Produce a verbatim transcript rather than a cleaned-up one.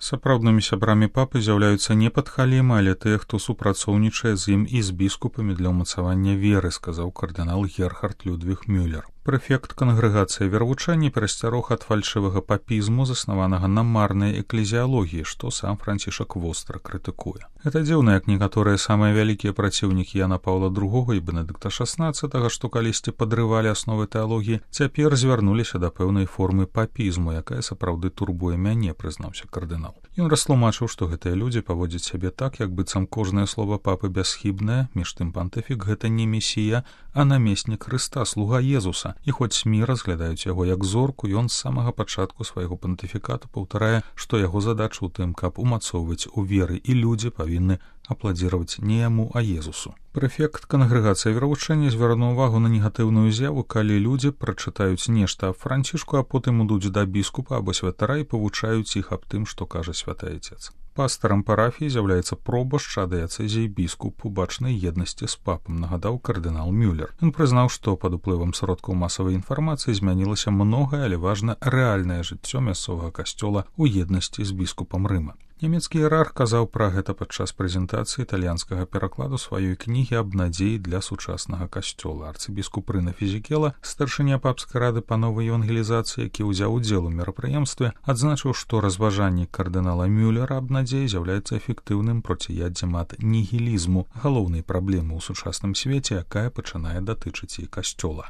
Сапраўднымі сябрамі папы з'яўляюцца не падхалімы, але тыя, хто супрацоўнічае з ім і з біскупамі для ўмацавання веры, сказаў кардынал Герхард Людвіг Мюллер. Прэфект кангрэгацыі веравучэння перасцярог ад фальшывага папізму, заснаванага на марнай эклезіялогіі, што сам Францішак востра крытыкуе. Гэта дзіўна, як некаторыя самыя вялікія праціўнікі Яна Паўла другога і Бенедыкта шаснаццатага, што калісьці падрывалі асновы тэалогіі, цяпер звярнуліся да пэўнай формы папізму, якая сапраўды турбуе мяне, прызнаўся кардынал. Ён растлумачыў, што гэтыя людзі паводзяць сябе так, як быццам кожнае слова папы бясхібнае, між тым пантыфік гэта не месія, а намеснік Хрыста, слуга Езуса. І хоць СМІ разглядаюць яго як зорку, ён з самага пачатку свайго пантыфікату паўтарае, што яго задача ў тым, каб умацоўваць у веры, і людзі павінны апладзіраваць не яму, а Езусу. Прэфект кангрэгацыі веравучэння звярнуў увагу на негатыўную з'яву, калі людзі прачытаюць нешта аб Францішку, а потым ідуць да біскупа або святара і павучаюць іх аб тым, што кажа святы Айцец. Пастарам парафіі з'яўляецца пробашч ад дыяцэзіі біскуп у бачнай еднасці з папам, нагадаў кардынал Мюллер. Ён прызнаў, што пад уплывам сродкаў масавай інфармацыі змянілася многае, але важна рэальнае жыццё мясцовага касцёла ў еднасці з біскупам Рыма. Нямецкі іерарх казаў пра гэта падчас прэзентацыі італьянскага перакладу сваёй кнігі аб надзеі для сучаснага касцёла. Арцыбіскуп Рына Фізікела, старшыня папскай рады па новай евангелізацыі, які ўзяў удзел у мерапрыемстве, адзначыў, што разважанні кардынала Мюллера аб надзеі з'яўляецца эфектыўным проціяддзем ад нігілізму, галоўнай праблемы ў сучасным свеце, якая пачынае датычыць і касцёла.